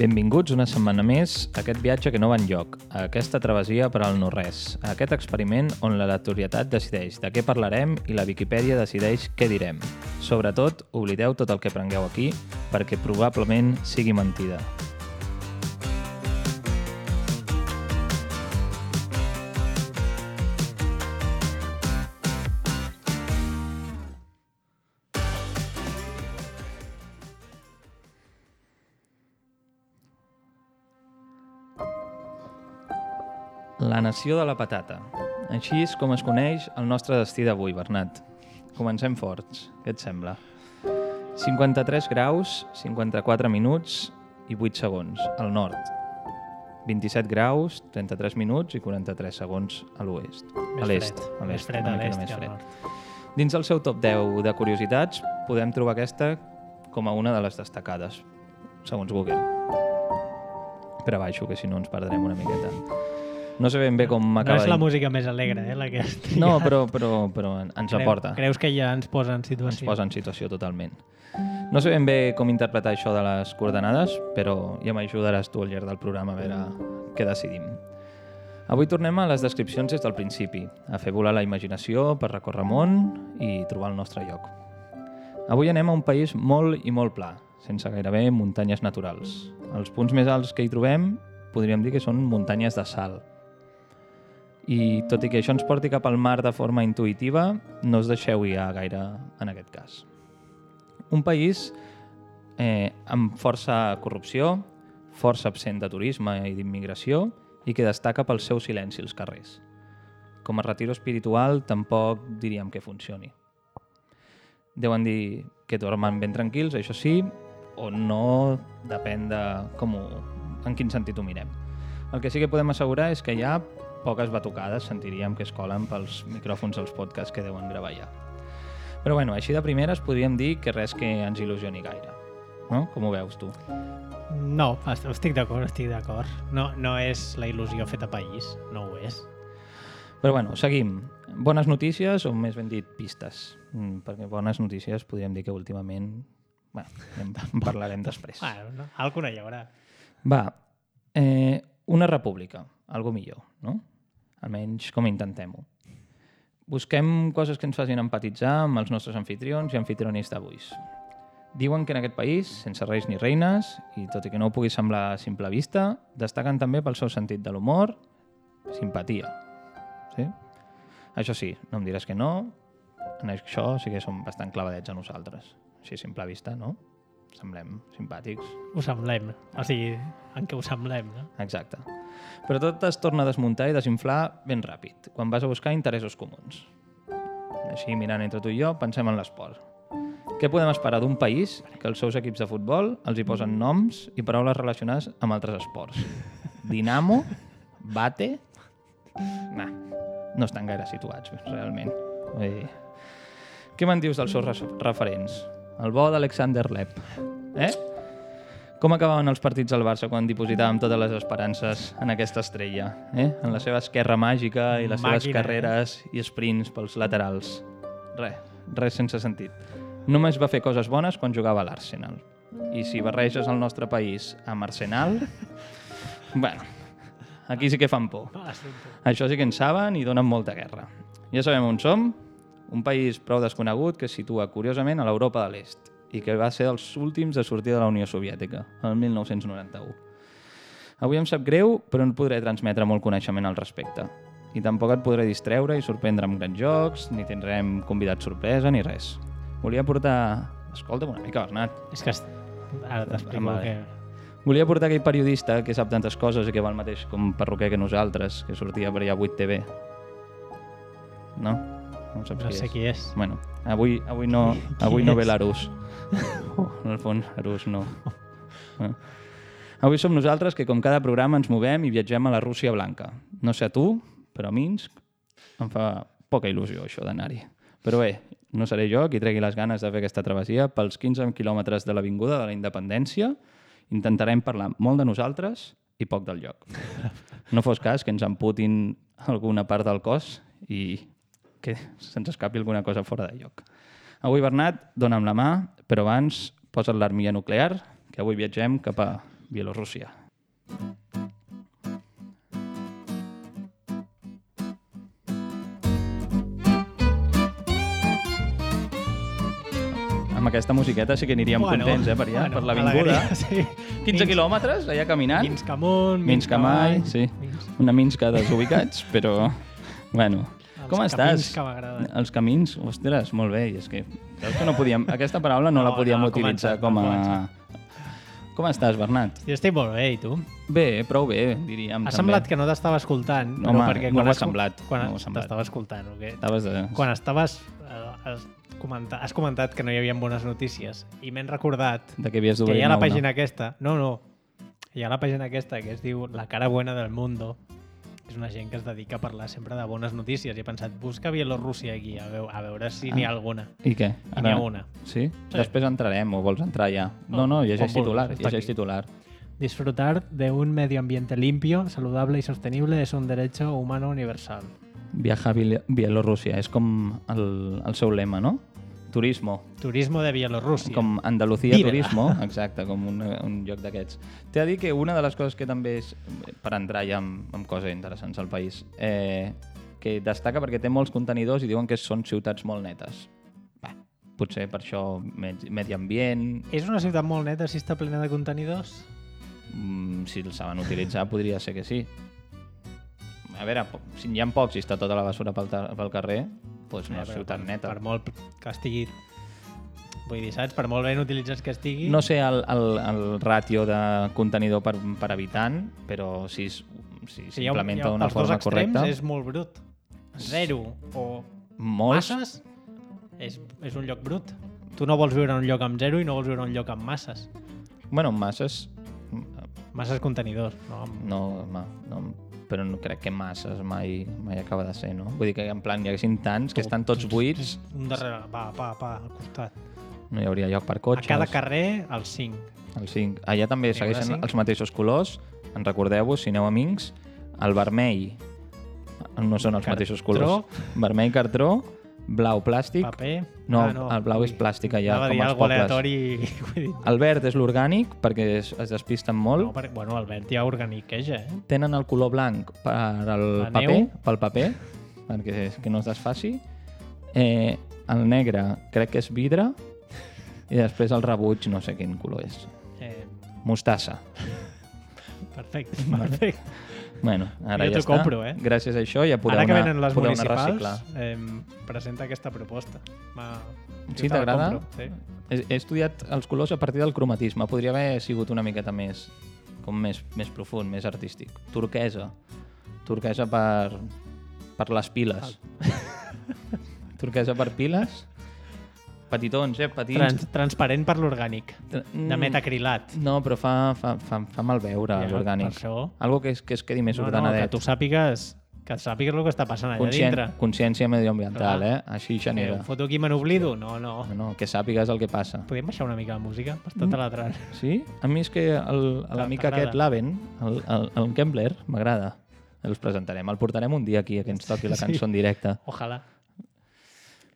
Benvinguts una setmana més a aquest viatge que no va enlloc, a aquesta travessia per al no-res, a aquest experiment on l'aleatorietat decideix de què parlarem i la Viquipèdia decideix què direm. Sobretot, oblideu tot el que aprengueu aquí, perquè probablement sigui mentida. La nació de la patata. Així és com es coneix el nostre destí d'avui, Bernat. Comencem forts. Què et sembla? 53 graus, 54 minuts i 8 segons al nord. 27 graus, 33 minuts i 43 segons a l'oest. A l'est. Més fred a l'est que al nord. Dins del seu top 10 de curiositats podem trobar aquesta com a una de les destacades, segons Google. Per a baixo, que si no ens perdrem una miqueta. No sé ben bé com acaba... No és la música més alegre, la que has triat. No, però ens aporta. Creus que ja ens posa en situació? Ens posa en situació totalment. No sé ben bé com interpretar això de les coordenades, però ja m'ajudaràs tu al llarg del programa a veure què decidim. Avui tornem a les descripcions des del principi, a fer volar la imaginació per recórrer món i trobar el nostre lloc. Avui anem a un país molt i molt pla, sense gairebé muntanyes naturals. Els punts més alts que hi trobem podríem dir que són muntanyes de sal. I tot i que això ens porti cap al mar de forma intuïtiva, no us deixeu guiar gaire en aquest cas. Un país amb força corrupció, força absent de turisme i d'immigració i que destaca pel seu silenci als carrers. Com a retiro espiritual tampoc diríem que funcioni. Deuen dir que dormen ben tranquils, això sí, o no, depèn de en quin sentit ho mirem. El que sí que podem assegurar és que hi ha poques batucades, sentiríem que es colen pels micròfons dels podcasts que deuen gravar allà. Però bueno, així de primeres podríem dir que res que ens il·lusioni gaire. No? Com ho veus tu? No, estic d'acord. No és la il·lusió feta país, no ho és. Però bueno, seguim. Bones notícies o més ben dit pistes? Perquè bones notícies podríem dir que últimament... Bueno, en parlarem després. Bueno, alguna hi haurà. Va, una república, algo millor, no? Almenys com intentem-ho. Busquem coses que ens facin empatitzar amb els nostres anfitrions i anfitrionis d'avui. Diuen que en aquest país, sense reis ni reines, i tot i que no ho pugui semblar a simple vista, destaquen també pel seu sentit de l'humor, simpatia. Sí? Això sí, no em diràs que no, en això sí que som bastant clavadets a nosaltres. Així a simple vista, no? Semblem simpàtics. Ho semblem, o sigui, en què ho semblem, no? Exacte. Però tot es torna a desmuntar i desinflar ben ràpid, quan vas a buscar interessos comuns. Així, mirant entre tu i jo, pensem en l'esport. Què podem esperar d'un país que els seus equips de futbol els hi posen noms i paraules relacionades amb altres esports? Dinamo? Bate? Nah, no estan gaire situats, realment. Què me'n dius dels seus referents? El bo d'Alexander Lepp. Com acabaven els partits del Barça quan dipositàvem totes les esperances en aquesta estrella? En la seva esquerra màgica i les seves carreres i sprints pels laterals. Res sense sentit. Només va fer coses bones quan jugava a l'Arsenal. I si barreges el nostre país amb Arsenal... Bueno, aquí sí que fan por. Això sí que en saben i donen molta guerra. Ja sabem on som. Un país prou desconegut que es situa curiosament a l'Europa de l'Est i que va ser dels últims a sortir de la Unió Soviètica, el 1991. Avui em sap greu, però no podré transmetre molt coneixement al respecte. I tampoc et podré distreure i sorprendre amb grans jocs, ni tindrem convidat sorpresa, ni res. Volia portar... Escolta'm una mica, Bernat. És que ara t'explico que... Volia portar aquell periodista que sap tantes coses i que va el mateix com perruquer que nosaltres, que sortia per allà a 8TV. No? No saps no sé qui és. Bueno, avui no ve l'Arús. En el fons, Arús no. Avui som nosaltres que com cada programa ens movem i viatgem a la Rússia blanca. No sé a tu, però a Minsk em fa poca il·lusió això d'anar-hi. Però bé, no seré jo qui tregui les ganes de fer aquesta travessia pels 15 quilòmetres de l'Avinguda de la Independència. Intentarem parlar molt de nosaltres i poc del lloc. No fos cas que ens amputin alguna part del cos i que se'ns escapi alguna cosa fora de lloc. Avui, Bernat, dona'm la mà, però abans posa't l'armilla nuclear, que avui viatgem cap a Bielorússia. Amb aquesta musiqueta sí que aniríem contents, per allà, per l'avinguda. Sí. 15 quilòmetres, allà caminant. Minsk amunt, Minsk avall, sí. Una Minska desubicats, però... Bueno, com estàs? Els camins que m'agraden. Els camins, ostres, molt bé. I és que, veus que no podíem... Aquesta paraula no la podíem utilitzar com a... Com estàs, Bernat? Jo estic molt bé, i tu? Bé, prou bé, diríem. Ha semblat que no t'estava escoltant, però Home, perquè no quan ho ha semblat. Quan No ho ha semblat. t'estava escoltant, o què? Estaves de... Quan estaves... Has comentat que no hi havia bones notícies i m'he recordat De que havies que d'obrir hi ha la una. pàgina aquesta... No. Hi ha la pàgina aquesta que es diu La cara buena del mundo. És una gent que es dedica a parlar sempre de bones notícies i he pensat, busca Bielorússia aquí, a veure si n'hi ha alguna. I què? I n'hi ha una. Sí? Després entrarem, o vols entrar ja? No, llegeix com titular. vulguis, està Llegeix aquí. titular. Disfrutar de un medio ambiente limpio, saludable y sostenible es un derecho humano universal. Viajar a Bielorússia. És com el seu lema, no? Turismo. Turismo de Bielorússia. Com Andalucía Vívela. Turismo. Exacte, com un lloc d'aquests. T'he de dir que una de les coses que també és, per entrar ja amb coses interessants al país, que destaca perquè té molts contenidors i diuen que són ciutats molt netes. Bé, potser per això medi ambient, És una ciutat molt neta si està plena de contenidors? si els saben utilitzar podria ser que sí. A veure, si hi ha pocs i està tota la basura pel carrer, doncs no és ciutat neta. Per molt que estigui... Vull dir, saps? Per molt ben utilitzats que estigui... No sé el ràtio de contenidor per habitant, però si s'implementa d'una forma correcta... Els dos extrems és molt brut. 0 o molts, masses és un lloc brut. Tu no vols viure en un lloc amb 0 i no vols viure en un lloc amb masses. bueno, masses... Masses contenidors. No? No, però no crec que masses mai acaba de ser, no? Vull dir que en plan hi haguessin tants que estan tots buits, Un darrere, al costat. no hi hauria lloc per A cotxes. cada carrer, els 5. El 5. Allà també segueixen 5. els mateixos colors, en recordeu-vos, si aneu a Minsk, el vermell no són els mateixos colors. Vermell cartró, blau plàstic, Paper... no, el blau és plàstic allà, Anava a com dir als algo pobles. aleatori. Vull dir, El verd és l'orgànic, perquè es despisten molt. no, perquè, bueno, el verd ja organiqueja, Tenen el color blanc La pel neu. paper, perquè que no es desfaci. El negre crec que és vidre, i després el rebuig no sé quin color és. Mostassa. Perfecte. Bueno, ara Jo ja t'ho està. compro, Gràcies a això ja podeu Ara que anar, venen les podeu anar a municipals, reciclar. presenta aquesta proposta. Sí, t'agrada? Sí. He estudiat els colors a partir del cromatisme. Podria haver sigut una miqueta més profund, més artístic. Turquesa per les piles. Turquesa per piles. Petitons, petits. Transparent per l'orgànic. De metacrilat. No, però fa mal veure l'orgànic. Per això. Algo que es quedi més Que ordenadet. tu sàpigues el que està passant allà dintre. Consciència medioambiental, Clar. Així genera. Foto aquí me n'oblido? No. No, que sàpigues el que passa. Podem baixar una mica la música? M'està taladrant. Sí? A mi és que l'amic aquest, l'Aven, el Kembler, m'agrada. Els presentarem. El portarem un dia aquí, que ens toqui la cançó en directe. Ojalà.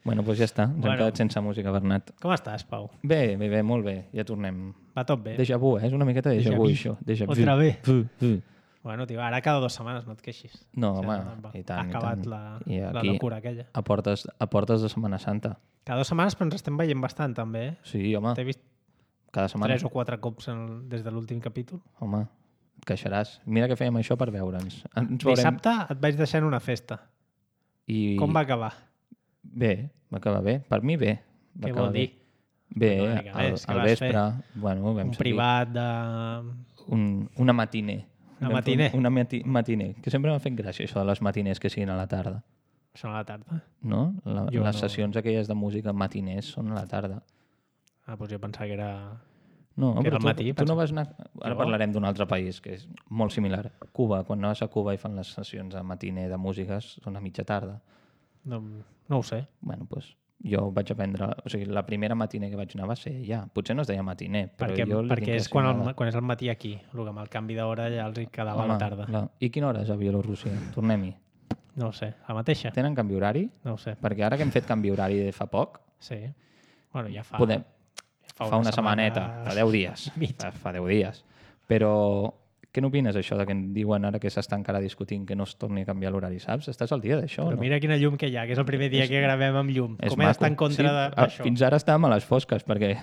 Bueno, doncs ja està. Ens hem quedat sense música, Bernat. Com estàs, Pau? Bé, molt bé. Ja tornem. Va tot bé? Déjà vu, És una miqueta déjà vu, això. Déjà vu. Otra vez. Bueno, tio, ara cada 2 setmanes no et queixis. No, home, i tant. Ha acabat i tant. la aquí, locura aquella. A portes de Setmana Santa. Cada 2 setmanes, però ens estem veient bastant, també, eh? Sí, home, T'he vist cada setmana. 3 o 4 cops des de l'últim capítol. Home, et queixaràs. Mira que fèiem això per veure'ns. Ens Dissabte et vaig deixar en una festa. I... Com va acabar? Bé, va acabar bé. Per mi bé. Va Què acabar vol dir? Bé, Una mica més, què al vas vespre. Bueno, vam Un seguir. privat de... Una matiner. Una matiner? Una matiner. Que sempre m'ha fet gràcia això de les matiners que siguin a la tarda. Són a la tarda? No? Jo Les no. sessions aquelles de música matiners són a la tarda. Ah, doncs jo pensava que era... No, Que però era al matí, tu no penso. vas anar... Ara Jo? parlarem d'un altre país que és molt similar. Cuba. Quan anaves a Cuba i fan les sessions de matiner de músiques, són a mitja tarda. No ho sé. Bueno, doncs jo vaig aprendre... O sigui, la primera matiner que vaig anar va ser ja. Potser no es deia matiner, però jo... Perquè és quan és el matí aquí. El que amb el canvi d'hora ja els hi quedava a la tarda. Clar. I quina hora és a Bielorússia? Tornem-hi. No ho sé. La mateixa? Tenen canvi horari? No ho sé. Perquè ara que hem fet canvi horari de fa poc, Sí. Bueno, ja fa... podem... Fa Fa una setmaneta, fa 10 dies. Mitja. Fa 10 dies. Però què n'opines, això, de que em diuen ara que s'està encara discutint que no es torni a canviar l'horari, saps? Estàs al dia d'això, Però no? mira quina llum que hi ha, que és el primer dia que gravem amb llum. És Com he d'estar en contra d'això? Fins ara estàvem a les fosques, perquè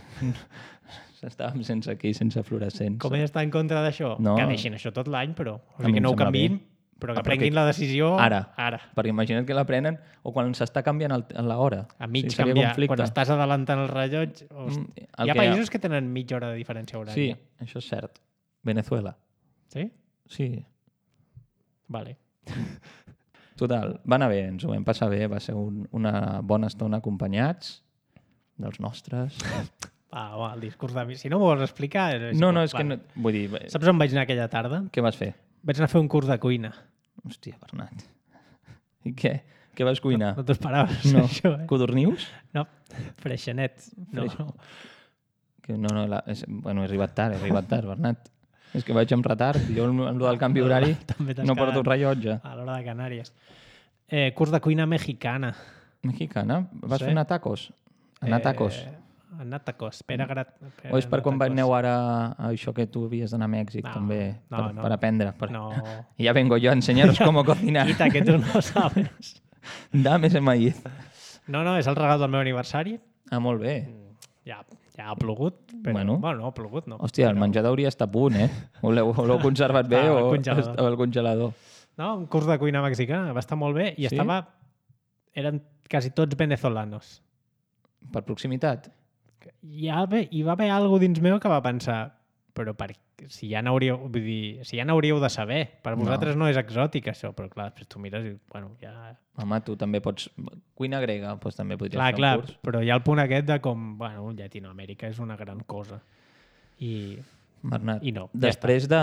estàvem sense fluorescents. Com he d'estar en contra d'això? No. Que deixin això tot l'any, però. O A mi sigui, que em no ho sembla canviïn, bé. però que Perquè prenguin la decisió ara. ara. Perquè imagina't que la prenen o quan s'està canviant l'hora. A mig seria canviar. conflicte. Quan estàs adelantant el rellotge... Hi ha països que tenen mitja hora de diferència Sí, horària. això és cert. Venezuela. Sí? Sí. Vale. Total, va anar bé, ens ho vam passar bé, va ser una bona estona acompanyats dels nostres. Va, el discurs de mi. Si no m'ho vols explicar... No, és que no, vull dir, Saps on vaig anar aquella tarda? què vas fer? Vaig anar a fer un curs de cuina. Hòstia, Bernat. I què? Què vas cuinar? No t'ho esperaves, No. això, Codornius? No, freixanets. No, Freix- no. Que no, bueno, he arribat tard, Bernat. És que vaig amb retard. Jo amb el del canvi horari També t'has no porto un quedat rellotge. a l'hora de Canàries. Curs de cuina mexicana. Mexicana? Vas Sí. fer anar tacos? Anar a tacos? Anar a tacos. Pere Grat... O és per quan aneu ara a això que tu havies d'anar a Mèxic, No, també, no, per, no. per aprendre? No. Ya vengo yo a enseñaros cómo cocinar. Quita, que tu no sabes. Dame ese maíz. No, és el regal del meu aniversari. Ah, molt bé. Ja ha plogut. Però, Bueno. no ha plogut, no. Hòstia, el menjador hauria estat a punt, eh? Ho l'heu conservat bé Estava al o congelador. estava al congelador? No, un curs de cuina mexicana. Va estar molt bé i Sí? eren quasi tots venezolanos. Per proximitat? Hi va haver alguna dins meu que va pensar però si ja n'hauríeu de saber. Per vosaltres no és exòtic, això, però clar, després tu mires i, bueno, ja... Home, tu també pots... Cuina grega, doncs també podries Clar, fer un curs. però hi ha el punt aquest de com, bueno, Llatinoamèrica és una gran cosa. Bernat, I no, ja després de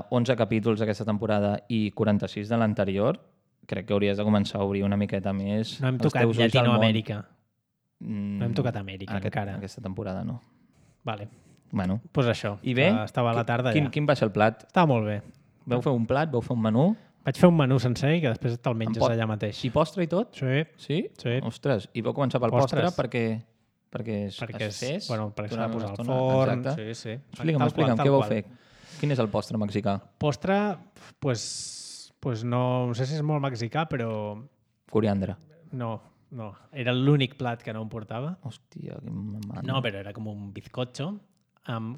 11 capítols d'aquesta temporada i 46 de l'anterior, crec que hauries de començar a obrir una miqueta més No hem els tocat teus ulls al món. Llatinoamèrica. No hem tocat Amèrica, encara. Aquesta temporada no. Vale, Bueno, doncs pues això. i bé? Estava a la tarda quin, ja. quin va ser el plat? Estava molt bé. Vau fer un plat? Vau fer un menú? Vaig fer un menú sencer i que després te'l menges pot- allà mateix. I postre i tot? Sí, Sí? Sí. Ostres, i vau començar pel Postres. postre perquè es bueno, perquè s'ha de durant posar una al estona. forn. Exacte. Sí. Explica'm, què vau fer? Quin és el postre mexicà? Postre, pues no sé si és molt mexicà, però Coriandre. no. Era l'únic plat que no em portava. Hòstia, quin mamant. No, però era com un bizcocho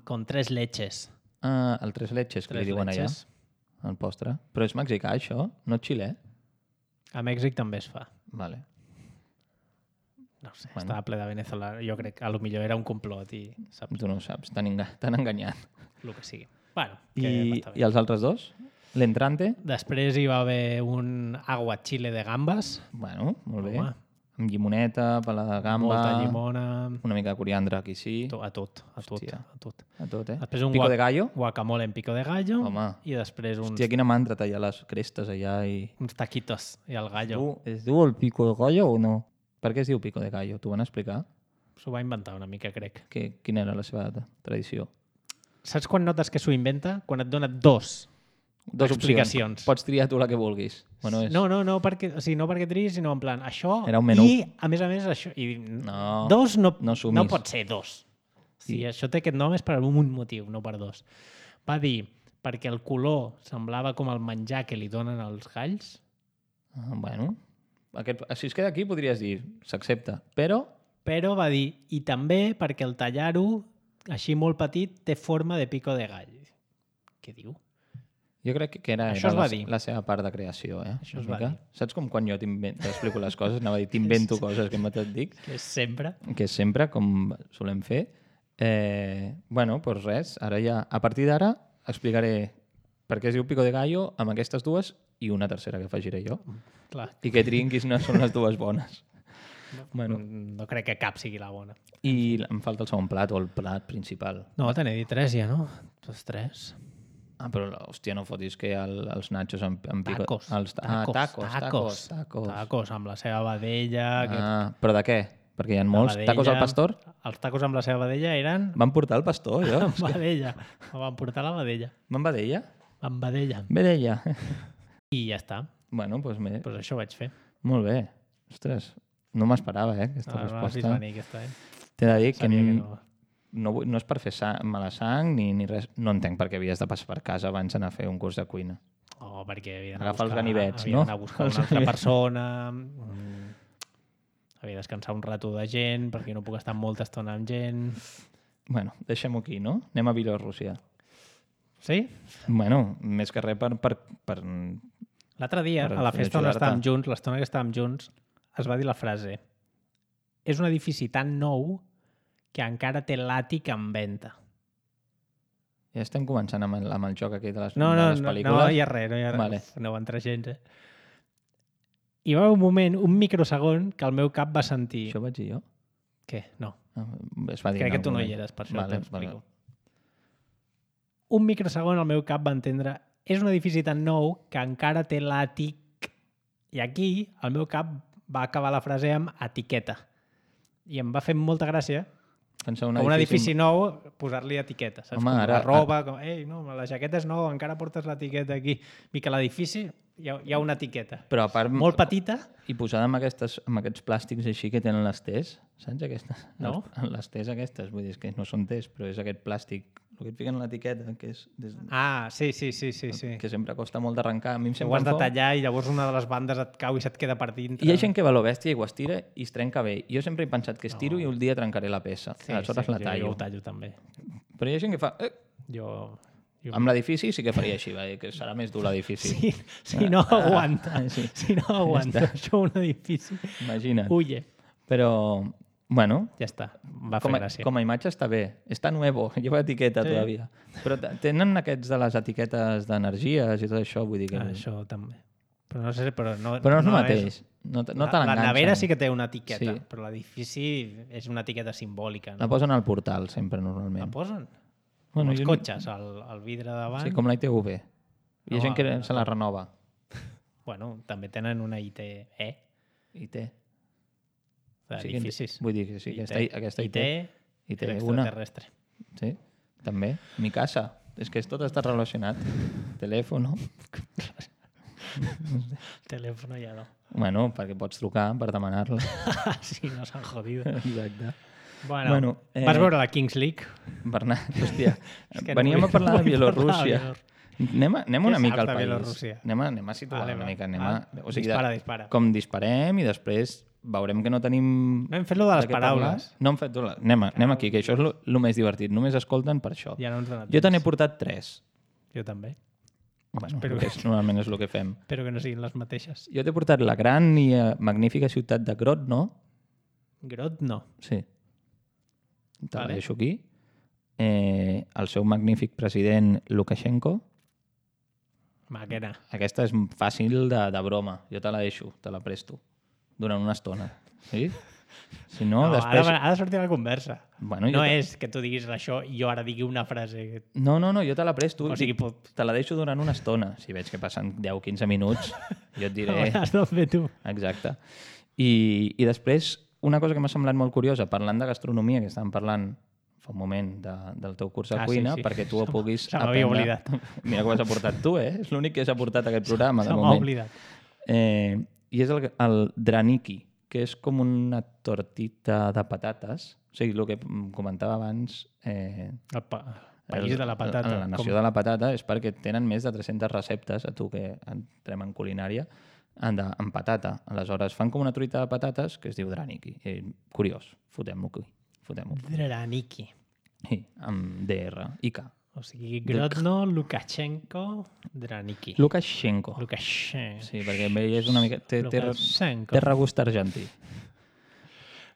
con 3 leches. Ah, el tres leches, que li diuen allà. El postre. Però és mexicà, això? No xilè? A Mèxic també es fa. Vale. No sé, Bueno. estava ple de venezolà. Jo crec que potser era un complot i saps Tu no ho saps, t'han enganyat. el que sigui. Bueno, que I, va estar bé. I els altres dos? L'entrante? Després hi va haver un aguachile de gambes. Bueno, molt bé. Home. Amb llimoneta, pala de gamba... Molta llimona... Una mica de coriandre, aquí sí. A tot. Hòstia. A tot. A tot, eh? Després un Pico de gallo? guacamole en pico de gallo. Home. I després uns, Hòstia, quina mandra tallar les crestes allà i... uns taquitos i el gallo. Es diu el pico de gallo o no? Per què es diu pico de gallo? T'ho van explicar? S'ho va inventar una mica, crec. Quina era la seva tradició? Saps quan notes que s'ho inventa? Quan et dona dos explicacions. Pots triar tu la que vulguis. Bueno, és... No, no perquè triïs, sinó en plan, això... Era un menú. I, a més, això... I No, dos no sumis. no pot ser dos. Si això té aquest nom és per un motiu, no per dos. Va dir, perquè el color semblava com el menjar que li donen als galls. Bueno, si es queda aquí podries dir, s'accepta, però... Però va dir, i també perquè el tallar-ho, així molt petit, té forma de pico de gall. Què diu? Jo crec que era Això es va dir. la seva part de creació, eh? Això es Una va mica. dir. Saps com quan jo t'explico les coses? Anava a dir, t'invento coses que et dic, Que és sempre. que és sempre, com solem fer. Bueno, doncs res, ara ja, a partir d'ara, explicaré per què es diu pico de gallo amb aquestes dues i una tercera que afegiré jo. Clar. I que triïn quines són les dues bones. Bueno, No crec que cap sigui la bona. i em falta el segon plat o el plat principal. No, te n'he dit 3 ja, no? Tots 3. Ah, però, hòstia, no fotis que hi ha els nachos amb pico... Tacos. Tacos. Tacos amb la seva vedella. Però de què? Perquè hi ha molts. vedella. Tacos al pastor? Els tacos amb la seva vedella eren Van portar el pastor, jo? amb vedella. Em van portar la vedella. Van vedella? Amb vedella. Vedella. I ja està. Bueno, doncs bé. Pues això vaig fer. Molt bé. Ostres, no m'esperava, aquesta No, no l'has vist resposta. venir, aquesta, T'he de dir que, Sabia que no. no és per fer mala sang ni res. No entenc per què havies de passar per casa abans d'anar a fer un curs de cuina. Perquè havia Agafa els ganivets, no? Havia d'anar a buscar una altra persona, havia de descansar un rato de gent, perquè no puc estar molta estona amb gent... Bueno, deixem-ho aquí, no? Anem a Bielorússia. Sí? Bueno, més que res per L'altre dia, a la festa on estàvem junts, l'estona que estàvem junts, es va dir la frase: és un edifici tan nou que encara té l'àtic en venda. Ja estem començant amb el joc aquí de les pel·lícules. No hi ha res, Vale. No va entrar gens, Hi va haver un moment, un microsegon, que el meu cap va sentir... Això ho vaig dir jo? Què? No. Es va dir Crec que tu no hi eres, per això t'ho explico. Un microsegon el meu cap va entendre: és un edifici tan nou que encara té l'àtic. I aquí el meu cap va acabar la frase amb etiqueta. I em va fer molta gràcia un edifici nou posar-li etiqueta. Saps? Home, com ara... la roba, com, ei, no, la jaqueta és nova, encara portes l'etiqueta aquí. I que l'edifici hi ha una etiqueta. Però a part... Molt petita. I posada amb aquests plàstics així que tenen les tés, saps? Aquestes? No? Les tés aquestes, vull dir, que no són tés, però és aquest plàstic, el que et fiquen a l'etiqueta, que és... Sí. Que sempre costa molt d'arrencar. A mi em ho has de tallar i llavors una de les bandes et cau i se't queda per dintre. Hi ha gent que va a lo bèstia i ho estira i es trenca bé. Jo sempre he pensat que estiro i un dia trencaré la peça. Aleshores la tallo. Jo ho tallo també. Però hi ha gent que fa... Jo... Amb l'edifici sí que faria així, que serà més dur l'edifici. Si no aguanta. Si no aguanta això un edifici. Imagina't. Huye. Però, bueno... Ja està, va fer gràcia. Com a imatge està bé. Està nuevo, lleva etiqueta todavía. Però tenen aquests de les etiquetes d'energies i tot això, vull dir que... Això també. Però no sé, però no és el mateix. No te l'enganxen. La nevera sí que té una etiqueta, però l'edifici és una etiqueta simbòlica. La posen al portal, sempre, normalment. La posen? Bueno, els cotxes, el vidre davant... Sí, com la ITV. Hi ha gent que se la renova. Bueno, també tenen una IT. IT. D'edificis. Vull dir que sí, aquesta IT. IT extraterrestre. Sí, també. Mi casa. És que tot està relacionat. Telèfon. Telèfon ja no. Bueno, perquè pots trucar per demanar-la. Sí, no s'han jodido. Exacte. Bueno, vas veure la Kings League? Bernat, hòstia, veníem a parlar de Bielorússia. Anem una mica al país. Anem a situar una mica. Dispara. Com disparem i després veurem que no tenim... No hem fet lo de les paraules. No hem fet... Anem aquí, que això és el més divertit. Només escolten per això. Jo te n'he portat 3. Jo també. Bueno, normalment és el que fem. Espero que no siguin les mateixes. Jo t'he portat la gran i magnífica ciutat de Grodno. Grodno? Sí. Te la deixo aquí. El seu magnífic president Lukashenko. Maquena. Aquesta és fàcil de broma. Jo te la deixo, te la presto. Durant una estona. Sí? Si no, després... Ha de sortir la conversa. Bueno, no és que tu diguis això i jo ara digui una frase. No, jo te la presto. O sigui, te la deixo durant una estona. Si veig que passen 10-15 minuts, jo et diré... Has de fer tu. Exacte. I després, una cosa que m'ha semblat molt curiosa, parlant de gastronomia, que estàvem parlant fa un moment del teu curs de cuina, perquè tu ho puguis aprendre... Se m'havia oblidat. Mira que ho has aportat tu, És l'únic que has aportat a aquest programa, de moment. Se m'ha oblidat. I és el draniki, que és com una tortita de patates. O sigui, el que comentava abans... El país de la patata. La nació de la patata és perquè tenen més de 300 receptes, a tu que entrem en culinària, en patata. Aleshores, fan com una truita de patates que es diu draniki. Curiós. Fotem-ho aquí. Draniki. Sí, amb DR i K. O sigui, Grodno, Lukashenko, Draniki. Lukashenko. Sí, perquè és una mica... Té regust argentí.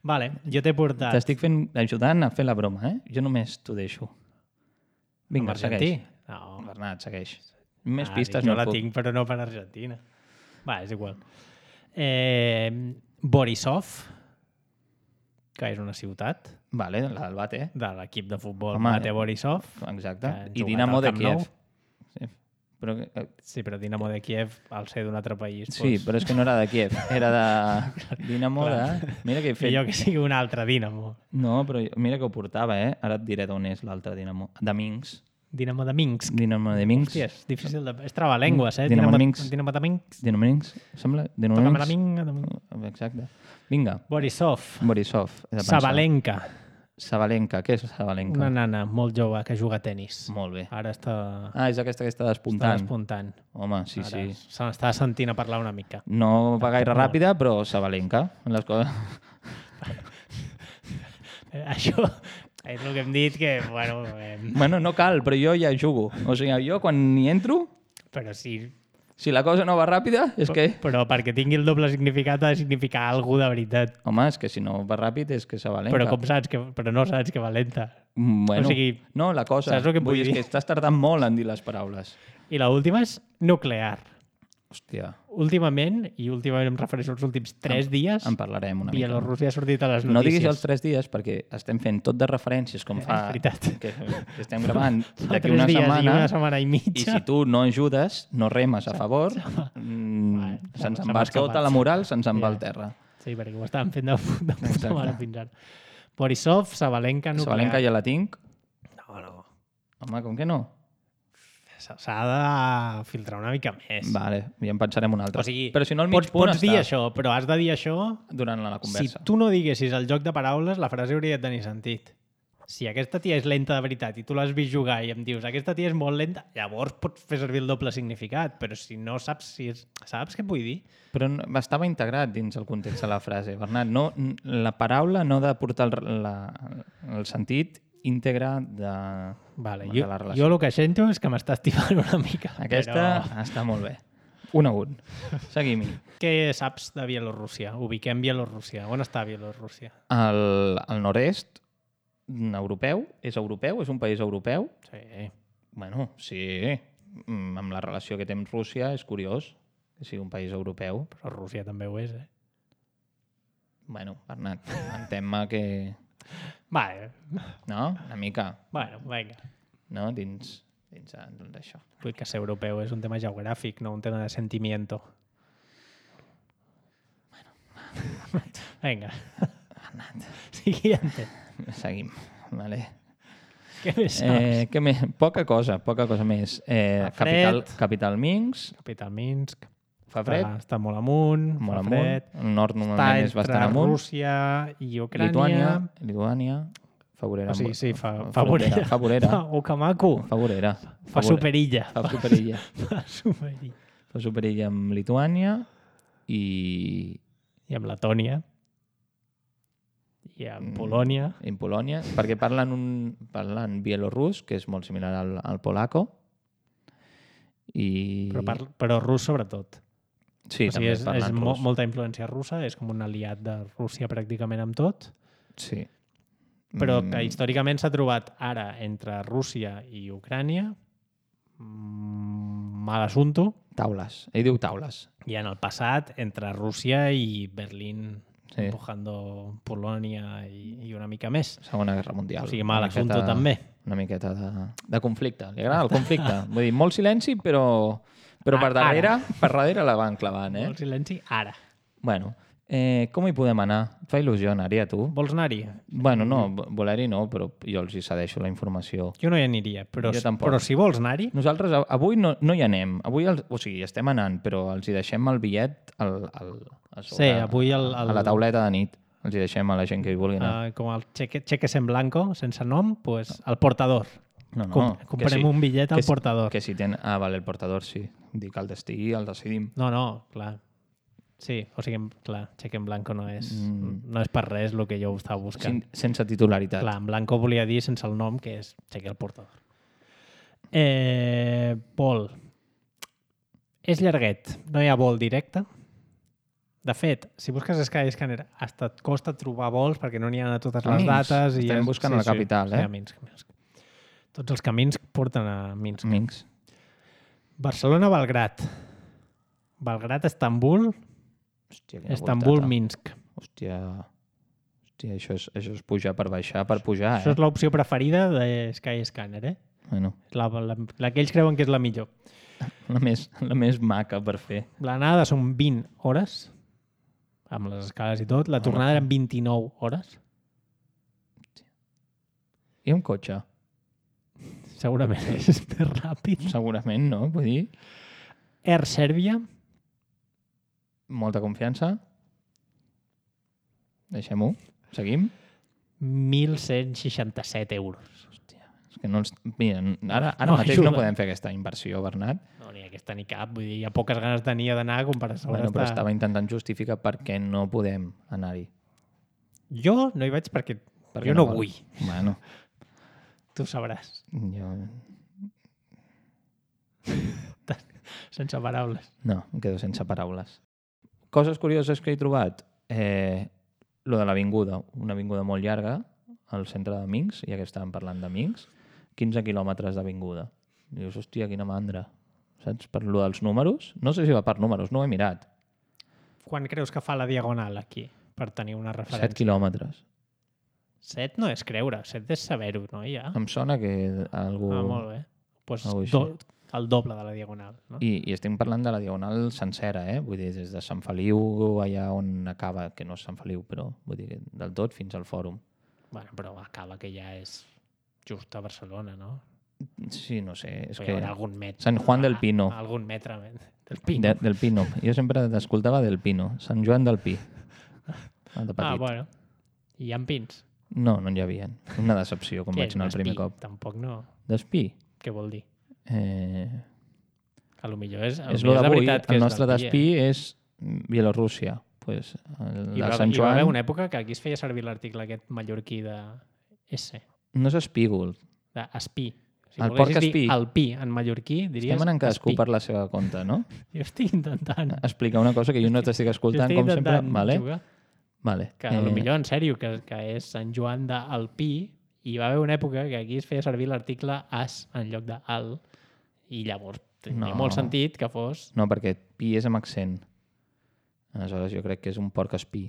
Vale, jo t'he portat... T'estic ajudant a fer la broma, Jo només t'ho deixo. Vinga, segueix. No. Bernat, segueix. Més pistes no puc. Jo la tinc, però no per Argentina. Va, és igual. Borisov, que és una ciutat. Vale, la del Bate. De l'equip de futbol Bate Borisov. Exacte. I Dinamo de Kiev. Sí, però Dinamo de Kiev, al ser d'un altre país... Sí, però és que no era de Kiev. Era de Dinamo de... Mira que he fet... Millor que sigui un altre Dinamo. No, però mira que ho portava, Ara et diré d'on és l'altre Dinamo. De Minsk. Dinamo de Minsk. Dinamo de Minsk. Hòstia, és difícil de... És trabalengües, Dinamo de Minsk. Dinamo de Minsk. Dinamo de Minsk, sembla? Dinamo de Minsk. Exacte. Vinga. Borisov. Borisov. Sabalenka. Sabalenka, què és Sabalenka? Una nana molt jove que juga a tenis. Molt bé. Ara està És aquesta que està despuntant. despuntant. Home, sí, Ara sí. se n'està sentint a parlar una mica. No va gaire ràpida, però Sabalenka. Les coses... Això és el que hem dit que, bueno... Bueno, no cal, però jo ja jugo. O sigui, jo quan hi entro, Però sí... si la cosa no va ràpida, és que... Però perquè tingui el doble significat ha de significar alguna de veritat. Home, és que si no va ràpid és que Sabalenka. Però com saps que... Però no saps que va lenta. Bueno, O sigui, no, la cosa... saps el que em vull dir? dir? És que estàs tardant molt en dir les paraules. I l'última és nuclear. Hòstia, Últimament em refereixo als últims 3 dies, en parlarem una mica. Bielorússia ha sortit a les notícies. No diguis els 3 dies perquè estem fent tot de referències com fa... És veritat. Que estem gravant Fa d'aquí 3 una dies setmana. i una setmana i I mitja. si tu no ajudes, no remes a favor, se'ns en va tota la moral, se'ns en va al terra. Sí, perquè ho estàvem fent de puta mare fins ara. Borisov, Sabalenka, nuclear. Sabalenka ja la tinc. No. Home, com que no? S'ha de filtrar una mica més. Vale, ja en pensarem un altre. O sigui, però si no, al mig punt pots dir està això, però has de dir això... durant la Si conversa. tu no diguessis el joc de paraules, la frase hauria de tenir sentit. Si aquesta tia és lenta de veritat i tu l'has vist jugar i em dius aquesta tia és molt lenta, llavors pots fer servir el doble significat, però si no saps si és... Saps què vull dir? Però estava integrat dins el context de la frase, Bernat. No, la paraula no ha de portar el sentit íntegre de, Vale, de la relació. jo el que sento és que m'estàs tibant una mica. Aquesta està molt bé. 1 a 1. Seguim-hi. Què saps de Bielorússia? Ubiquem Bielorússia. On està Bielorússia? El nord-est europeu. És europeu? És un país europeu? Sí. Bueno, sí. Amb la relació que té amb Rússia és curiós que sigui un país europeu. Però Rússia també ho és, eh? Bueno, Bernat, entén-me que... Vale. No? Una mica. Bueno, vinga. No? Dins d'això. Vull que ser europeu és un tema geogràfic, no un tema de sentimiento. Bueno. Vinga. Siguiente. Seguim. Vale. Què més saps? Poca cosa més. Capital Minsk. Capital Minsk. Fa fred. Està molt amunt. Molt fa amunt. fred. El nord normalment és bastant Està amunt. Rússia i Ucrània. Lituània. Favorera. O sigui, sí, fa favorera. Fa Okamaku. Favorera. Fa superilla. Fa superilla. Fa superilla. Fa superilla amb Lituània i I amb Letònia. I amb Polònia. en Polònia, perquè parlen bielorús, que és molt similar al polaco. Però rus sobretot. Sí, o sigui, també parlen rus. molta influència russa, és com un aliat de Rússia pràcticament amb tot, Sí. però que històricament s'ha trobat ara entre Rússia i Ucrània mal assunto, Taules. Ell diu taules. i en el passat entre Rússia i Berlín Sí. empujando Polònia i una mica més. Segona Guerra Mundial. O sigui, mal Una assunto miqueta- també. Una miqueta de conflicte. Li agrada el conflicte. Vull dir, molt silenci, però per darrere la van clavant, eh? Molt silenci, ara. Bueno, com hi podem anar? Et fa il·lusió anar-hi a tu? Vols anar-hi? Bueno, no, voler-hi no, però jo els hi cedeixo la informació. Jo no hi aniria, però, Jo tampoc. però si vols anar-hi, Nosaltres avui no hi anem. Avui, o sigui, estem anant, però els hi deixem el bitllet a sobre, Sí, avui a la tauleta de nit. Els hi deixem a la gent que hi vulgui anar. com el cheques en blanco, sense nom, pues el portador. No, Comprem un bitllet al portador. Que si vale, el portador sí. Dic, el destí el decidim. No, clar. Sí, o sigui, clar, cheque en blanco no és per res el que jo estava buscant. Sense titularitat. Clar, en blanco volia dir sense el nom, que és cheque al portador. Vol. És llarguet, no hi ha vol directe. De fet, si busques Skyscanner, hasta et costa trobar vols perquè no n'hi ha a totes les dates. Estem buscant a la capital, Sí, a Minsk. Tots els camins porten a Minsk. Minsk. Barcelona-Belgrat. Belgrat-Estambul. Hòstia, quina Estambul-Minsk. Hòstia, això és pujar per baixar, per pujar, Això és l'opció preferida de Skyscanner, eh? Bueno, La que ells creuen que és la millor. la més maca per fer. L'anada són 20 hores, amb les escales i tot. La tornada eren 29 hores. I un cotxe? Segurament és més ràpid. Segurament, no? Vull dir, Air Serbia. molta confiança. Deixem-ho. Seguim. 1.167 euros. Hòstia, és que no els... Mira, ara No mateix ajuda. no podem fer aquesta inversió, Bernat. No, ni aquesta ni cap. Vull dir, hi ha poques ganes tenia d'anar com per a sobre Bueno, però estar... estava intentant justificar per què no podem anar-hi. Jo no hi vaig perquè Perquè jo no vols. vull. Bueno, Tu sabràs. jo... Sense paraules. No, em quedo sense paraules. Coses curioses que he trobat. Lo de l'avinguda. Una avinguda molt llarga al centre de Minsk, ja que estàvem parlant de Minsk. 15 quilòmetres d'avinguda. Dius, hòstia, quina mandra. Saps? Per lo dels números. No sé si va per números, no ho he mirat. Quan creus que fa la diagonal aquí? Per tenir una referència. 7 quilòmetres. 7 no és creure, 7 és saber-ho, no? Ja. Em sona que algú... Ah, molt bé. Pues algú així. el doble de la diagonal, no? I estem parlant de la diagonal sencera, Vull dir, des de Sant Feliu, allà on acaba, que no és Sant Feliu, però vull dir, del tot fins al fòrum. Bueno, però acaba que ja és just a Barcelona, no? Sí, no sé, és Però que... hi haurà algun metre. Sant Juan del Pino. Algun metre del Pino. Del Pino. Jo sempre t'escoltava del Pino. Sant Joan del Pi. De petit. Bueno. I hi ha pins. No, no n'hi havia. Una decepció, com Què vaig és anar un el primer espí? cop. Tampoc no. D'espí? Què vol dir? Eh... A lo millor és... És lo d'avui. Que El nostre despí és Bielorússia. Pues, Hi va haver una època que aquí es feia servir l'article aquest mallorquí de S. No és espígol. D'espí. Si El porc volguessis dir espí. el pi en mallorquí, diries Estem anant cadascú espí. per la seva compte, no? Jo estic intentant. Explicar una cosa que jo no t'estic escoltant, com sempre. Vale? Jugar. Vale. Que potser en sèrio, que és Sant Joan del Pi, i va haver una època que aquí es feia servir l'article as en lloc de al, i llavors tenia molt sentit que fos... No, perquè pi és amb accent. Aleshores jo crec que és un porc espí.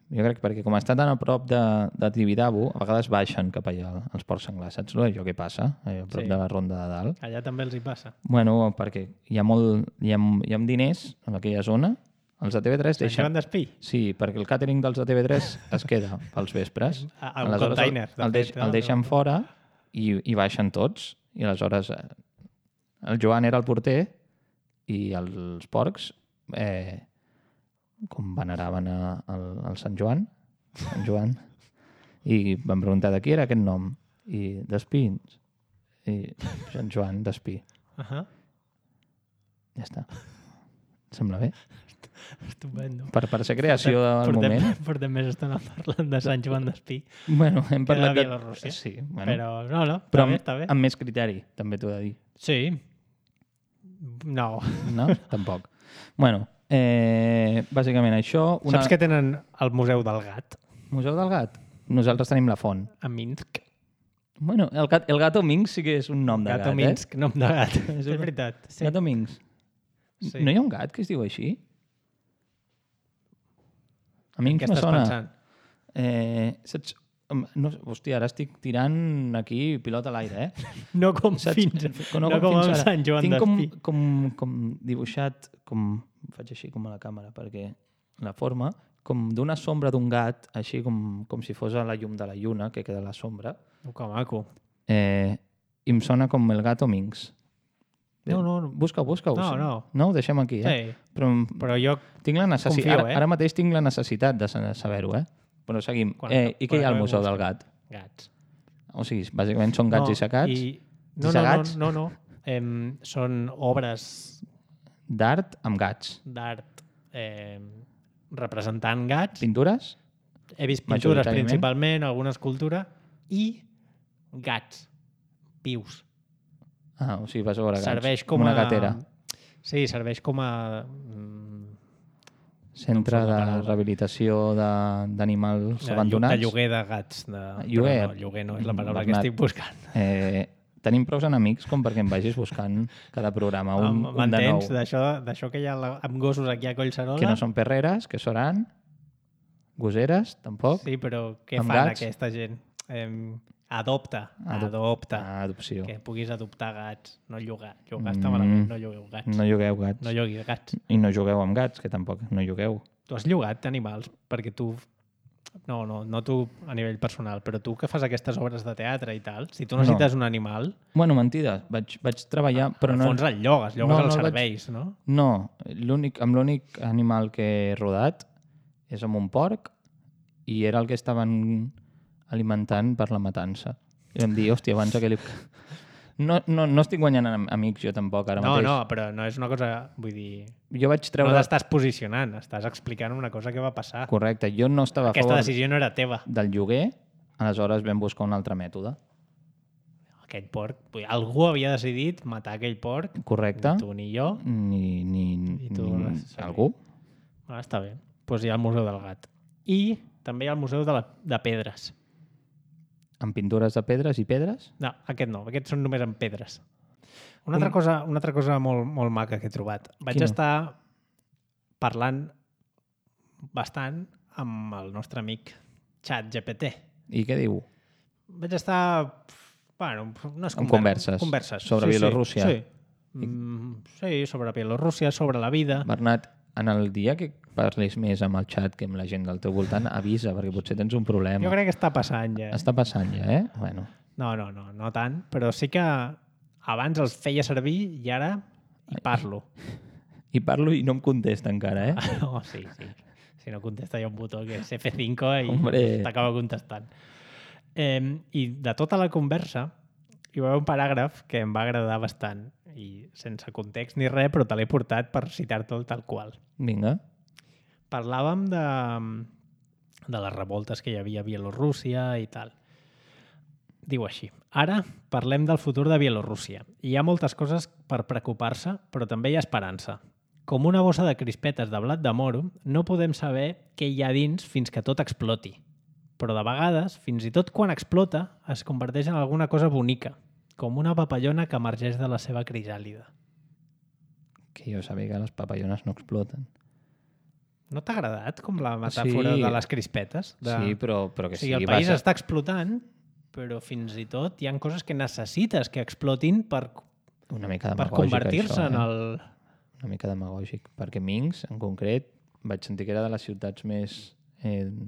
Jo crec perquè com està tan a prop de Tibidabo, a vegades baixen cap allà els porcs senglars. Saps allò que passa? A prop de la ronda de dalt. Allà també els hi passa. Bueno, perquè hi ha diners en aquella zona. Els de TV3 Sant Joan d'Espí? Sí, perquè el càtering dels de TV3 es queda pels vespres. El container. El deixen fora i baixen tots. I aleshores el Joan era el porter i els porcs com veneraven al Sant Joan, i van preguntar de qui era aquest nom. I d'Espí. I Sant Joan d'Espí. Ja està. Et sembla bé? Estupendo. Per ser creació del moment. Portem més estona parlant de Sant Joan d'Espí. Bueno, hem parlat de Bielorússia. Sí, bueno. Però no, està bé. Amb més criteri, també t'ho he de dir. Sí. No. No? Tampoc. Bueno, bàsicament això... Saps que tenen el Museu del Gat? Museu del Gat? Nosaltres tenim la font. A Minsk. Bueno, el Gato Minsk sí que és un nom de gat, Gato Minsk, nom de gat. És veritat. Sí. Gato Minsk. Sí. No hi ha un gat que es diu així? A mi Què me estàs sona... pensant? Saps? No, hòstia, ara estic tirant aquí pilota a l'aire, No com fins, no com amb Sant Joan d'Espí. Tinc com dibuixat, faig així com a la càmera, perquè la forma, com d'una sombra d'un gat, així com si fos a la llum de la lluna, que queda la sombra. Que maco. I em sona com el Gato Minx. No. Busca-ho. No. No, ho deixem aquí, Sí. Però jo tinc la confio, ara mateix tinc la necessitat de saber-ho, Però seguim. I què hi ha al Museu del Gat? Gats. O sigui, bàsicament són gats dissecats? No. Són obres d'art amb gats. D'art representant gats. Pintures? He vist pintures principalment, alguna escultura, i gats vius. Ah, o sigui, vas a veure gats. Serveix com una gatera. Sí, serveix com a... Centre de rehabilitació d'animals abandonats. De lloguer de gats. Lloguer? No, lloguer no és la paraula que estic buscant. Tenim prou enemics com perquè em vagis buscant cada programa un de nou. M'entens? D'això que hi ha amb gossos aquí a Collserola? Que no són perreres, que seran gosseres, tampoc. Sí, però què amb fan gats? Aquesta gent? Adopta. Adopció. Que puguis adoptar gats, no llogar. Llogar està malament, no llogueu gats. No llogueu gats. No llogui gats. I no jugueu amb gats, que tampoc no llogueu. Tu has llogat animals perquè tu... No tu a nivell personal, però tu que fas aquestes obres de teatre i tal, si tu necessites un animal... Bueno, mentida, vaig treballar... Però al fons el llogues els serveis, no? No, amb l'únic animal que he rodat és amb un porc i era el que estaven alimentant per la matança. I vam dir, hòstia, abans aquell... No estic guanyant amics jo tampoc ara mateix. No, però no és una cosa... Vull dir... Jo vaig treure... No t'estàs posicionant, estàs explicant una cosa que va passar. Correcte, jo no estava a Aquesta favor decisió no era teva. del lloguer, aleshores vam buscar un altre mètode. Aquell porc... Vull dir, algú havia decidit matar aquell porc. Correcte. Ni tu ni jo. Ni algú. Està bé. Doncs hi ha el Museu del Gat. I també hi ha el Museu de Pedres. Amb pintures de pedres i pedres? No, aquest no. Aquests són només amb pedres. Una altra cosa molt, molt maca que he trobat. Vaig estar parlant bastant amb el nostre amic ChatGPT. I què diu? Vaig estar... Bueno, no és converses. Sobre Bielorússia. Sí. Sí, sobre Bielorússia, sobre la vida. Bernat, en el dia que parlis més amb el xat que amb la gent del teu voltant, avisa, perquè potser tens un problema. Jo crec que està passant ja. Està passant ja, eh? Bueno. No tant, però sí que abans els feia servir i ara hi parlo. I parlo i no em contesta encara, eh? No, sí. Si no contesta hi ha un botó que és F5 i t'acaba contestant. I de tota la conversa hi va haver un paràgraf que em va agradar bastant i sense context ni res, però te l'he portat per citar-te'l tal qual. Vinga. Parlàvem de les revoltes que hi havia a Bielorússia i tal. Diu així: ara parlem del futur de Bielorússia. Hi ha moltes coses per preocupar-se, però també hi ha esperança. Com una bossa de crispetes de blat de moro, no podem saber què hi ha dins fins que tot exploti. Però de vegades, fins i tot quan explota, es converteix en alguna cosa bonica, com una papallona que emergeix de la seva crisàlida. Que jo sabia que les papallones no exploten. No t'ha agradat com la metàfora de les crispetes? Sí, però que sí. El país està explotant, però fins i tot hi ha coses que necessites que explotin per convertir-se en el... Una mica demagògic, perquè Minsk, en concret, vaig sentir que era de les ciutats més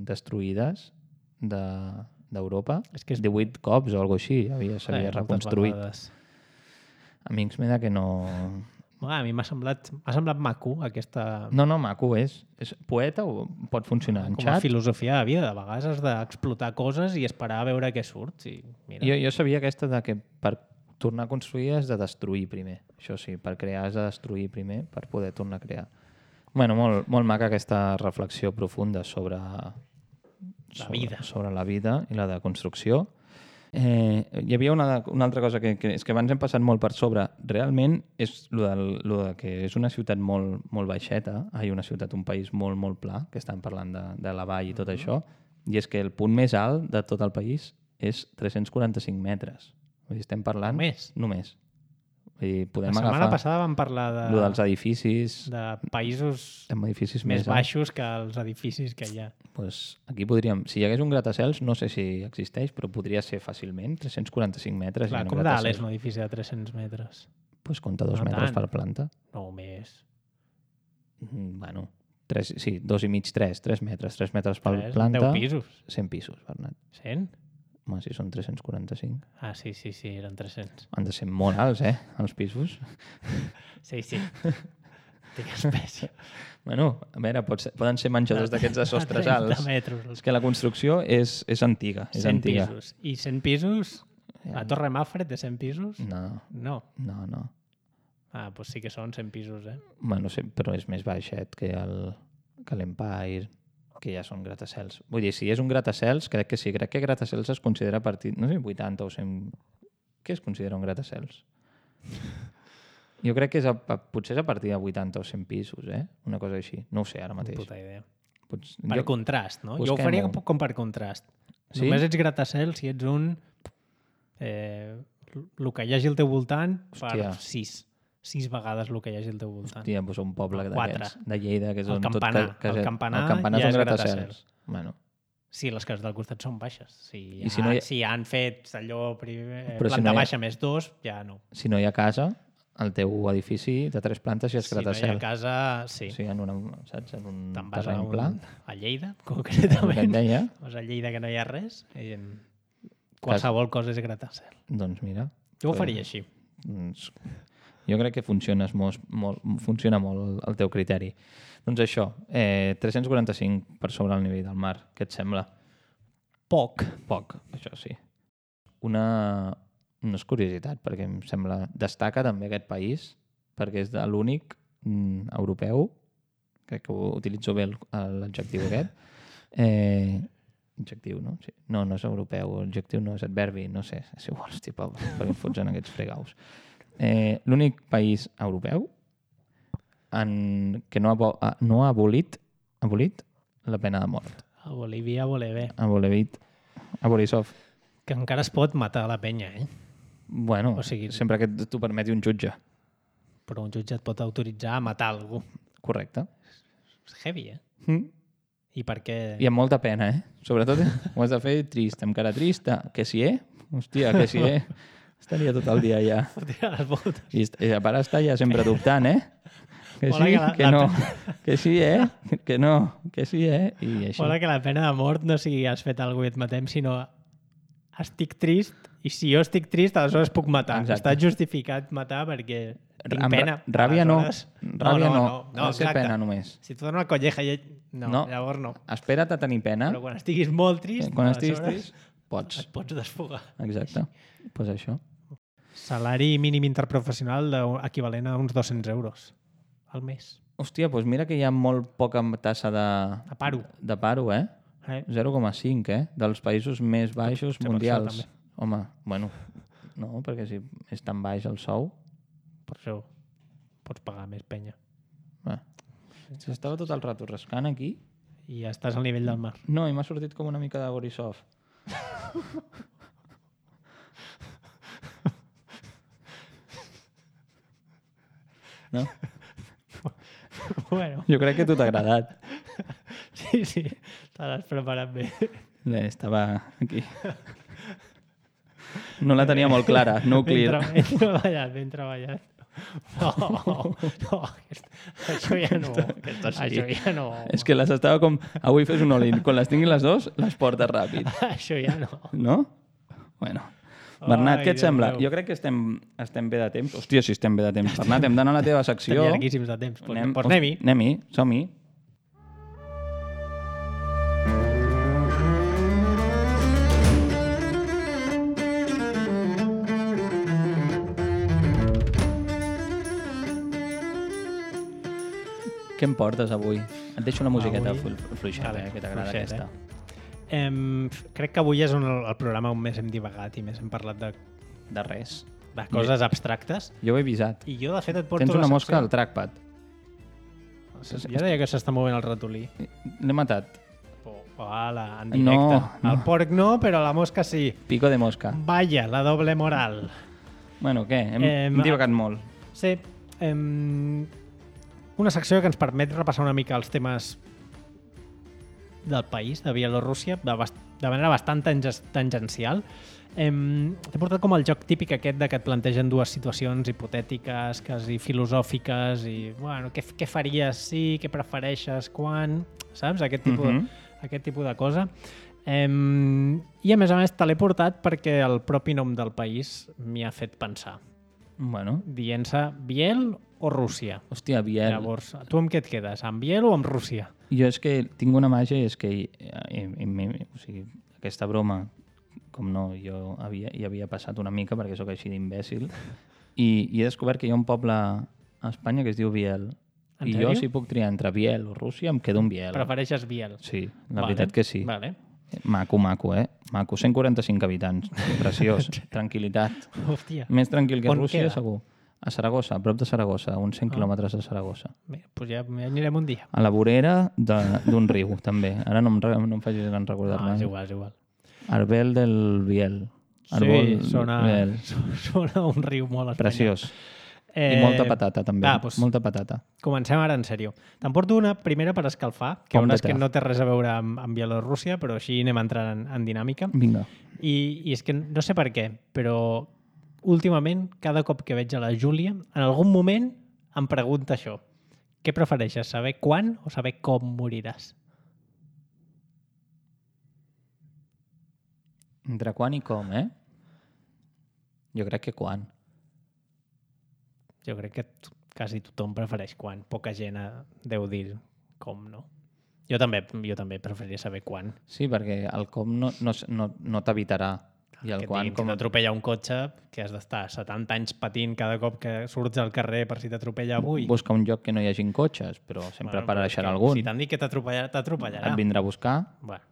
destruïdes d'Europa. 18 cops o alguna així s'havia reconstruït. A Minsk m'he que no... A mi m'ha semblat maco aquesta... No, maco és poeta o pot funcionar en xat? Com a filosofia de vida. De vegades has d'explotar coses i esperar a veure què surt. Sí, mira. Jo sabia aquesta de que per tornar a construir has de destruir primer. Això sí, per crear has de destruir primer per poder tornar a crear. Bueno, molt maca aquesta reflexió profunda sobre la vida. Sobre la vida i la de construcció. Hi havia una altra cosa que és que abans hem passat molt per sobre. Realment és lo de que és una ciutat molt baixeta, un país molt pla, que estan parlant de la vall i tot això, i és que el punt més alt de tot el país és 345 metres. Vull dir, estem parlant... Només. Vull dir, podem agafar... La setmana passada vam parlar dels edificis... De països edificis més baixos que els edificis que hi ha. Pues aquí podríem... Si hi hagués un gratacels, no sé si existeix, però podria ser fàcilment 345 metres. Clar, com d'alt és un edifici de 300 metres? Pues compta 2 metres per planta. No, més. Bueno, 2 i mig, 3 metres. 3 metres per planta. 10 pisos. 100 pisos, Bernat. 100? Home, si són 345. Ah, sí, eren 300. Han de ser molt alts, els pisos. Sí. Digues espècie. Bueno, a veure, poden ser menjadors d'aquests de sostres alts. És que la construcció és antiga. 100 pisos. I 100 pisos? La Torre Mafred de 100 pisos? No. Ah, doncs sí que són 100 pisos, Bueno, sí, però és més baixet que l'Empire, que ja són gratacels. Vull dir, si és un gratacels, crec que sí. Crec que gratacels es considera a partir... No sé, 80 o 100... Què es considera un gratacels? Jo crec que potser és a partir de 80 o 100 pisos, Una cosa així. No ho sé ara mateix. Puta idea. Per contrast, no? Jo ho faria com per contrast. Sí? Només ets gratacels si ets un... el que hi hagi al teu voltant per 6 vegades el que hi hagi al teu voltant. Hòstia, doncs un poble d'aquests, de Lleida, que és el campanar. El campanar ja és gratacels. Bueno. Sí, les cases del costat són baixes. Si han fet allò planta baixa més 2, ja no. Si no hi ha casa, el teu edifici de 3 plantes ja és gratacel. Si no hi ha casa, sí. Sí, en un terreny pla. A Lleida, concretament. Vas a Lleida que no hi ha res. Qualsevol cosa és gratacel. Doncs mira. Jo ho faria així. Jo crec que funciona molt el teu criteri. Doncs això, 345 per sobre el nivell del mar. Què et sembla? Poc. Poc, això sí. No és curiositat, perquè em sembla... Destaca també aquest país, perquè és l'únic europeu, crec que utilitzo bé l'adjectiu aquest, adjectiu, no? Sí. No és europeu, adjectiu no és adverbi, no sé, és igual, perquè em fots en aquests fregaus. L'únic país europeu que no ha abolit la pena de mort. A Bolívia vole bé. A Borisov. Que encara es pot matar la penya, eh? Bueno, O sigui- sempre que t'ho permeti un jutge. Però un jutge et pot autoritzar a matar algú. Correcte. És heavy, eh? I per què... I amb molta pena, eh? Sobretot ho has de fer trist, amb cara trista. Que sí, Hòstia, que sí, Estaria tot el dia allà. Fotre les botes. I a part està ja sempre dubtant, Que Hola, sí, que no. Que sí, Que no, que sí, I així. Mola que la pena de mort no sigui has fet alguna cosa i et matem, sinó estic trist i si jo estic trist, aleshores puc matar. Exacte. Està justificat matar perquè tinc Amb pena. Ràbia no. Aleshores- Ràbia no. Ha de ser exacte. pena només. Si tu dones una colleja i... No, llavors no. Espera't a tenir pena. Però quan estiguis molt trist, Quan estiguis aleshores trist, pots. et pots desfogar. Exacte. Pues això. Salari mínim interprofessional equivalent a uns 200 euros al mes. Hòstia, doncs mira que hi ha molt poca tassa A paro. de paro, 0,5, dels països més baixos Potser per mundials. això, també. Home, bueno, no, perquè si és tan baix el sou... Per això pots pagar més penya. S'estava tot el rato rascant aquí. I ja estàs al nivell del mar. No, i m'ha sortit com una mica de Borisov. No? Bueno, Jo crec que a tu t'ha agradat. sí, te l'has preparat bé. Estava aquí. No la tenia molt clara, nuclear. Ben treballat. No, això ja no. Aquesta sí. Això ja no. És que les estava com... Avui fes un all-in. Quan les tinguin les dos, les portes ràpid. Això ja no. No? Bueno. Bernat, Ai, què et Déu sembla? meu. Jo crec que estem bé de temps. Hòstia, si estem bé de temps. Bernat, hem d'anar a la teva secció. Estem llarguíssims de temps. Doncs anem-hi. Anem-hi, som-hi. Què em portes avui? Et deixo una musiqueta fluixeta, Vale, que t'agrada fluixeta, aquesta. Crec que avui és el programa on més hem divagat i més hem parlat De res. de coses abstractes. Jo ho he avisat. I jo, de fet, et porto Tens una la mosca al trackpad. Jo deia que s'està movent el ratolí. L'he matat. Hola, en directe. No. El porc no, però la mosca sí. Pico de mosca. Vaya, la doble moral. Bueno, què? Hem divagat molt. Sí. Una secció que ens permet repassar una mica els temes del país, de Bielorússia, de manera bastant tangencial. T'he portat com el joc típic aquest de que et plantegen dues situacions hipotètiques, quasi filosòfiques, i, bueno, què faries si, què prefereixes, quan, saps? Aquest tipus de cosa. I a més te l'he portat perquè el propi nom del país m'hi ha fet pensar. Bueno. Dient-se Biel o Rússia. Hòstia, Biel. Llavors, tu amb què et quedes? Amb Biel o amb Rússia? Jo és que tinc una màgia, és que o sigui, aquesta broma, com no, jo hi havia passat una mica perquè sóc així d'imbècil, i he descobert que hi ha un poble a Espanya que es diu Biel. En I sèrio? jo, si puc triar entre Biel o Rússia, em quedo amb Biel. Prefereixes Biel? Sí, la veritat que sí. Vale. Maco, Maco. 145 habitants. Preciós. Tranquil·litat. Hòstia. Més tranquil que On Rússia, queda? segur. A Saragossa, a prop de Saragossa, a uns 100 quilòmetres de Saragossa. Bé, doncs ja anirem un dia. A la vorera d'un riu, també. Ara no em facis en recordar-me. És igual. Arbel del Biel. Sí, sona Biel. un riu molt espanyol. Preciós. I molta patata, també. Doncs, Molta patata. comencem ara en sèrio. Te'n porto una primera per escalfar, que Pom de veuràs que te. no té res a veure amb Bielorússia, però així anem entrant en dinàmica. Vinga. I és que no sé per què, però últimament, cada cop que veig a la Júlia, en algun moment em pregunta això. Què prefereixes, saber quan o saber com moriràs? Entre quan i com, Jo crec que quan. Jo crec que quasi tothom prefereix quan. Poca gent deu dir com, no? Jo també preferiria saber quan. Sí, perquè el com no t'evitarà. I el Que et quan, diguin que t'atropella un cotxe, que has d'estar 70 anys patint cada cop que surts al carrer per si t'atropella avui. busca un lloc que no hi hagin cotxes, però sempre però és apareixerà que algun. Si t'han dit que t'atropellarà. Et vindrà a buscar. Bueno,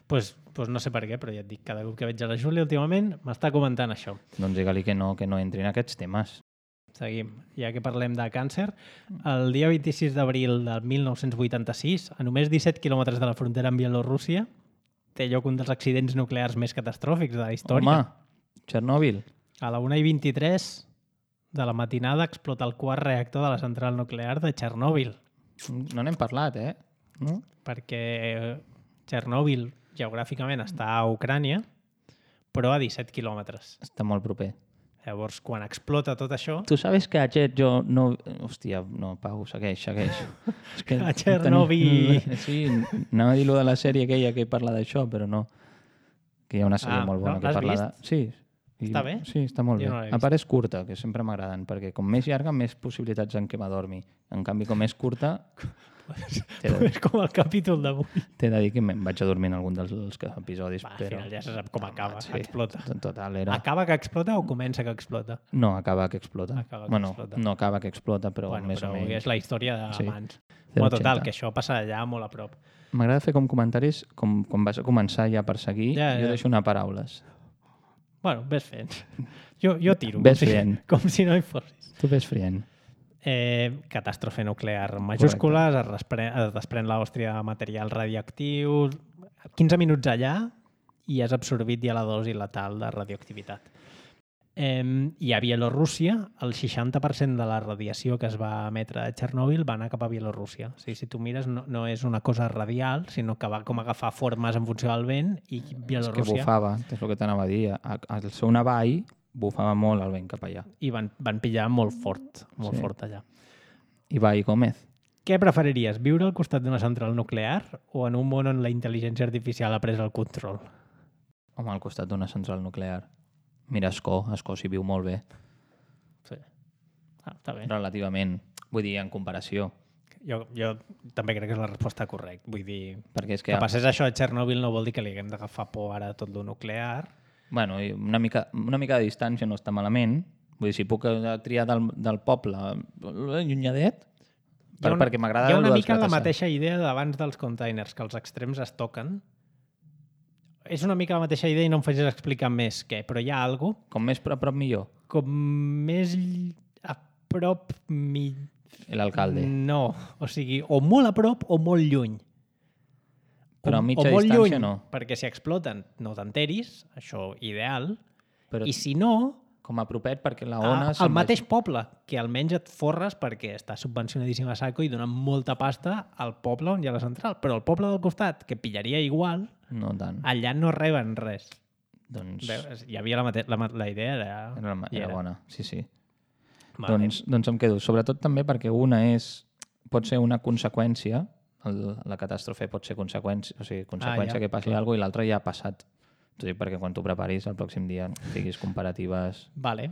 pues no sé per què, però ja et dic, cada cop que veig a la Júlia últimament m'està comentant això. Doncs digue-li que no entri en aquests temes. Seguim. Ja que parlem de càncer, el dia 26 d'abril del 1986, a només 17 quilòmetres de la frontera amb Bielorússia, té lloc un dels accidents nuclears més catastròfics de la història. Home, Txernòbil. A la 1:23 de la matinada explota el quart reactor de la central nuclear de Txernòbil, No n'hem parlat, No? perquè Txernòbil geogràficament està a Ucrània, però a 17 quilòmetres. Està molt proper. Llavors, quan explota tot això... Tu sabes que aquest jo no... Hòstia, no, Pau, segueix. És que A Txernòbil. Sí, anava a dir-lo de la sèrie aquella que parla d'això, però no. Que hi ha una sèrie molt bona que l'has parla de... Sí. Està bé? Sí, està molt Jo bé. no l'he A part és curta, que sempre m'agraden, perquè com més llarga, més possibilitats en què m'adormi. En canvi, com és curta, És com el capítol d'avui. t'he de dir que me'n vaig a dormir en algun dels episodis. Al però... final ja se sap com acaba, Sí, explota. Total, era... Acaba que explota o comença que explota? No, acaba que explota. Acaba que bueno, explota. no acaba que explota, però Bueno, més però o menys. és la història d'abans. Sí. Bueno, total, 0,80. que això passa allà molt a prop. M'agrada fer com comentaris, com vas a començar ja per seguir, Ja. jo deixo anar paraules. Bueno, ves fent. Jo tiro. Ves fent. Com si no hi fossis. Tu ves frient. Catàstrofe nuclear en majúscules, es desprèn l'Àustria de material radioactiu, 15 minuts allà i has absorbit ja la dosi letal de radioactivitat. I a Bielorússia, el 60% de la radiació que es va emetre a Txernòbil va anar cap a Bielorússia. O sigui, si tu mires, no és una cosa radial, sinó que va com agafar formes en funció del vent i És que Bielorússia... bufava, és el que t'anava a dir. Al seu navall bufava molt el vent cap allà. I van pillar molt fort allà. Ibai Gómez. Què preferiries, viure al costat d'una central nuclear o en un món on la intel·ligència artificial ha pres el control? Home, al costat d'una central nuclear. Mira, Escó s'hi viu molt bé. Sí. Està bé. Relativament. Vull dir, en comparació. Jo també crec que és la resposta correcta. Vull dir, Perquè és que passés això a Txernòbil no vol dir que li haguem d'agafar por ara a tot lo nuclear. Bueno, i una mica de distància no està malament. Vull dir, si puc triar del poble llunyadet, perquè m'agrada... Hi ha una mica la mateixa idea d'abans dels containers, que els extrems es toquen. És una mica la mateixa idea i no em facis explicar més què, però hi ha alguna cosa... Com més a prop millor. Com més a prop... L'alcalde. No, o sigui, o molt a prop o molt lluny. Però a mitja o molt distància lluny, no. perquè si exploten no t'enteris, això ideal, Però i si no, com a propet perquè la ona... al mateix poble, que almenys et forres perquè està subvencionadíssim a saco i donen molta pasta al poble on hi ha la central. Però el poble del costat, que pillaria igual, No tant. allà no reben res. Doncs Veus? Hi havia la idea era bona, sí. Vale. Doncs em quedo. Sobretot també perquè una pot ser una conseqüència, la catàstrofe pot ser conseqüència, ja, que passi alguna cosa i l'altra ja ha passat. T'ho dic perquè quan tu preparis el pròxim dia diguis comparatives... Vale.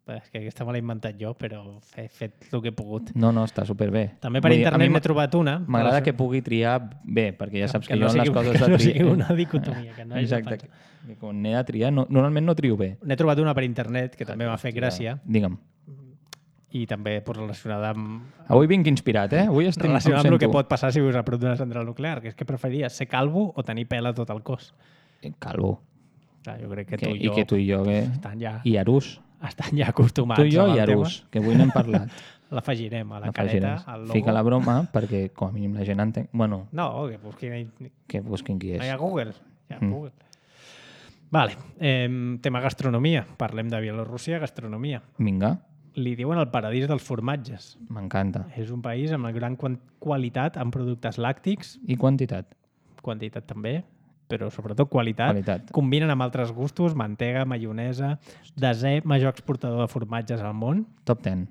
És que aquesta me l'he inventat jo, però he fet el que he pogut. No, està superbé. També per internet n'he trobat una. M'agrada que pugui triar bé, perquè ja saps que jo en les coses que de no triar... sigui una dicotomia. Que no Exacte. Que quan n'he de triar, normalment no trio bé. N'he trobat una per internet que també m'ha fet gràcia Digue'm. i també relacionada amb... Avui vinc inspirat, Avui estic... Relacionat amb el que pot passar si vius a prop d'una central nuclear, que és que preferiries ser calvo o tenir pèl a tot el cos. Calvo. Clar, jo crec que tu i jo... I que tu i jo, estan ja... I Arús. Estan ja acostumats Tu i jo amb i el Arús, que avui n'hem parlat. L'afegirem a la careta, al logo. Fica la broma, perquè com a mínim la gent entén... Bueno, no, que busquin... que busquin qui és. No hi ha Google. Google. Vale, tema gastronomia. Parlem de Bielorússia, gastronomia. Vinga. Li diuen el paradís dels formatges. M'encanta. És un país amb gran qualitat en productes làctics. I quantitat. Quantitat també, però sobretot qualitat. Combinen amb altres gustos, mantega, maionesa, desè major exportador de formatges al món. Top 10.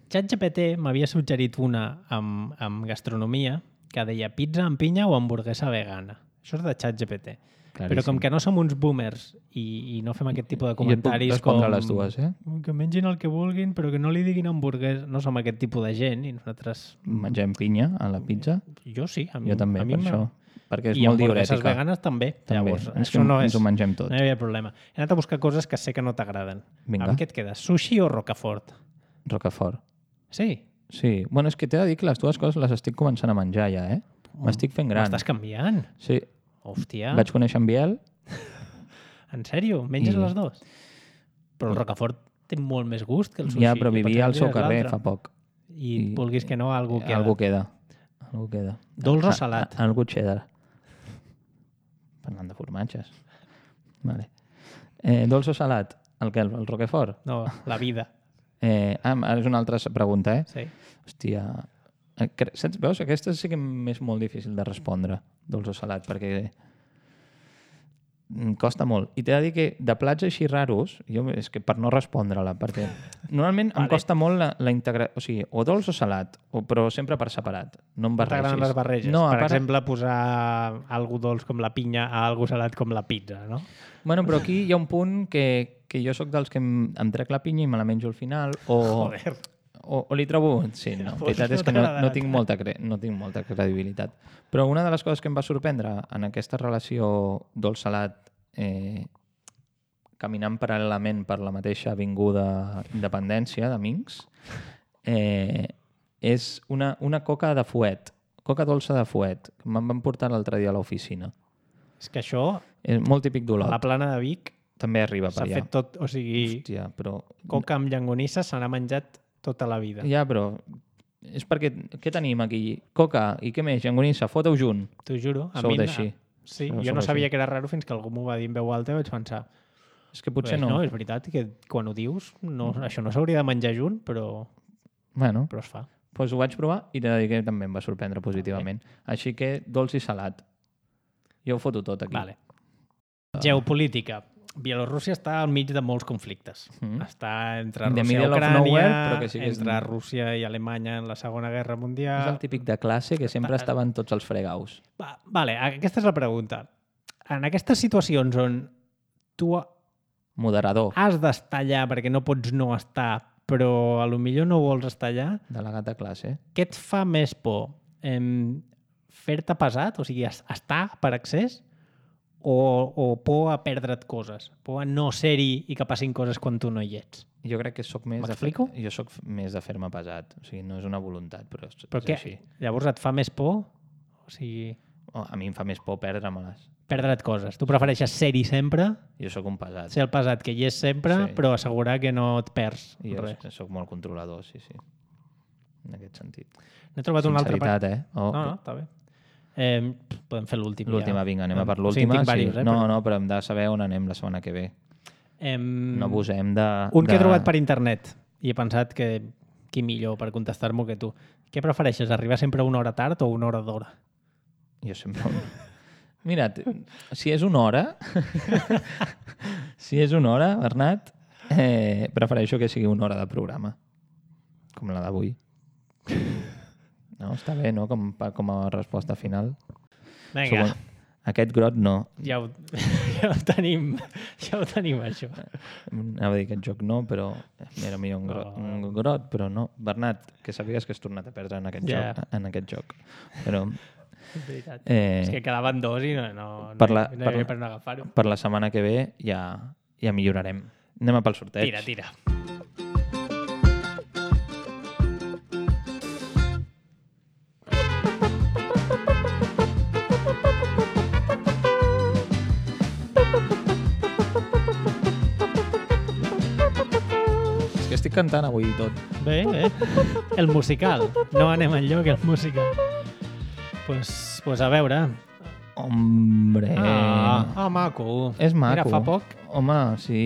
ChatGPT m'havia suggerit una amb gastronomia que deia pizza amb pinya o hamburguesa vegana. Això és de ChatGPT. Però com que no som uns boomers i no fem aquest tipus de Jo et puc comentaris respondre com... les dues, Que mengin el que vulguin, però que no li diguin hamburguesa. No som aquest tipus de gent i nosaltres... Mengem pinya a la pizza. Jo sí. A mi, Jo també, a mi per això. Perquè és I molt hamburgueses diurètica. veganes també. També. Llavors, Ens això no és... ho mengem tot. No hi havia problema. He anat a buscar coses que sé que no t'agraden. Vinga. Amb què et quedes? Sushi o Rocafort? Rocafort. Sí. Sí. Bueno, és que t'he de dir que les dues coses les estic començant a menjar ja, M'estic fent gran. M'estàs canviant? Sí. Hòstia. Vaig conèixer en Biel. En sèrio? Menges I- les dues? Però el Rocafort té molt més gust que el sushi. Ja, però I vivia al potser seu carrer l'altre. fa poc. I vulguis que no, algú queda. Algú queda. Algú queda. Dolç o salat? Algú cheddar. Parlant de formatges. Vale. Dolç o salat? El què? El Roquefort? No, la vida. Ara és una altra pregunta, Sí. Hòstia. Saps? Veus? Aquesta sí que m'és molt difícil de respondre, dolç o salat, perquè costa molt. I t'he de dir que de plats així raros, és que per no respondre-la, perquè normalment em costa molt la integració, o sigui, o dolç o salat, però sempre per separat. No em barregis. T'agraden les barreges? No, per exemple, posar algú dolç com la pinya a algú salat com la pizza, no? Bueno, però aquí hi ha un punt que jo sóc dels que em trec la pinya i me la menjo al final, Joder. o li trobo... Sí, no, la veritat és que no tinc molta credibilitat. Però una de les coses que em va sorprendre en aquesta relació dolç-salat caminant paral·lelament per la mateixa avinguda Independència de Minx és una coca de fuet, coca dolça de fuet, que me'n van portar l'altre dia a l'oficina. És que això, És molt típic a d'Olot. la plana de Vic, També arriba per s'ha allà. fet tot, o sigui, Hòstia, però... coca amb llangonissa se n'ha menjat tota la vida. Ja, però... És perquè... Què tenim aquí? Coca i què més? Llangonissa, foteu junt. T'ho juro. Sou d'així. Sí, Sou jo no sabia així. que era raro fins que algú m'ho va dir en veu alta i vaig pensar... És que potser Pues no. no, és veritat que quan ho dius, no, això no s'hauria de menjar junt, però Bueno, es fa. doncs ho vaig provar i t'he de dir que també em va sorprendre positivament. Així que dolç i salat. Jo ho foto tot aquí. Vale. Geopolítica. Bielorússia està al mig de molts conflictes. Està entre The Rússia i middle of Ucrània, nowhere, però que sí que és- entre Rússia i Alemanya en la Segona Guerra És Mundial... el típic de classe que sempre estaven tots els fregaus. Vale, aquesta és la pregunta. En aquestes situacions on tu Moderador has d'estar allà perquè no pots no estar, però a lo millor no vols estar allà, delegat de classe. què et fa més por? Fer-te pesat, o sigui, estar per accés, o por a perdre't coses? Por a no ser-hi i que passin coses quan tu no hi ets? Jo crec que sóc més M'explico? jo sóc més de fer-me pesat. O sigui, no és una voluntat, però és Però què? així. Llavors et fa més por? O sigui, A mi em fa més por perdre-me-les. perdre't coses. Tu prefereixes ser-hi sempre, Jo sóc un pesat. ser el pesat que hi és sempre, Sí. però assegurar que no et perds I jo res. sóc molt controlador, sí. En aquest sentit. N'he trobat un altre... Sinceritat, No, està bé. Podem fer l'últim. L'última, ja. vinga, anem a per O sigui, l'última. tinc diversos, No, però hem de saber on anem la setmana que ve. No abusem de... Un que he trobat per internet i he pensat que qui millor per contestar-m'ho que tu. Què prefereixes, arribar sempre una hora tard o una hora d'hora? Jo sempre... Mira, si és una hora... si és una hora, Bernat, prefereixo que sigui una hora de programa. Com la d'avui. No, està bé, no? Com a resposta final. Vinga, Aquest grot no. ja ho tenim, això. Anava a dir aquest joc no, però era millor un grot, però no. Bernat, que sàpigues que has tornat a perdre en aquest joc. Però... És veritat. És que quedaven dos i no per hi havia per no agafar-ho. Per la setmana que ve ja millorarem. Anem a pel sorteig. Tira. És que estic cantant avui tot. Bé. El musical. No anem enlloc, el musical. Pues a veure. Hombre... Maco. És maco. Mira, fa poc. Home, sí.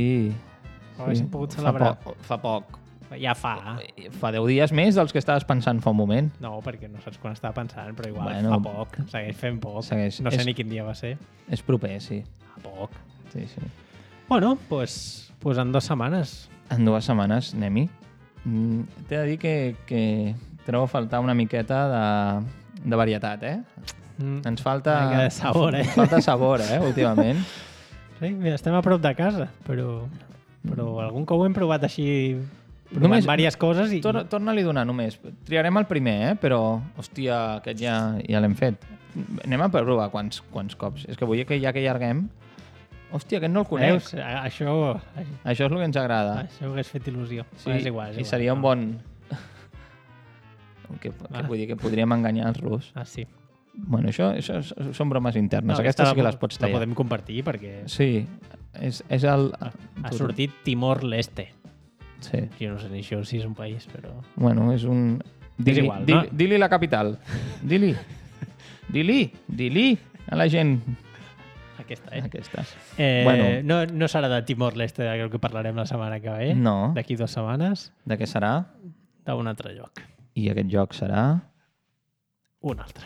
Haguéssim pogut celebrar. Fa poc. Ja fa. Fa 10 dies més dels que estaves pensant fa un moment. No, perquè no saps quan estava pensant, però igual Bueno, fa poc. Segueix fent poc. segueix. No sé ni quin dia va ser. És proper, sí. Fa poc. Sí. Bueno, pues en 2 setmanes. En 2 setmanes anem-hi. T'he de dir que trobo a faltar una miqueta de varietat, Ens falta... Una mica de sabor, Ens falta sabor, últimament. Sí, mira, estem a prop de casa, però algun cop ho hem provat així, provant diverses coses i... Torna-li a donar només. Triarem el primer, però, hòstia, aquest ja l'hem fet. Anem a provar quants cops. És que vull que ja que allarguem... Hòstia, aquest no el conec. Veus? Això és el que ens agrada. Això hagués fet il·lusió. Sí, és igual. I seria un bon... que vull dir que podríem enganyar-los. Ah, sí. Bueno, això són bromes internes. Aquestes sí que les pots tallar. La podem compartir perquè... Sí, és el... Ha sortit Timor-Leste. Sí. Jo no sé ni això si és un país, però... Bueno, és un... És igual, no? Dili la capital. Dili a la gent. Aquesta. Bueno. No serà de Timor-Leste el que parlarem la setmana que ve? No. D'aquí 2 setmanes? De què serà? D'un altre lloc. I aquest lloc serà? Un altre.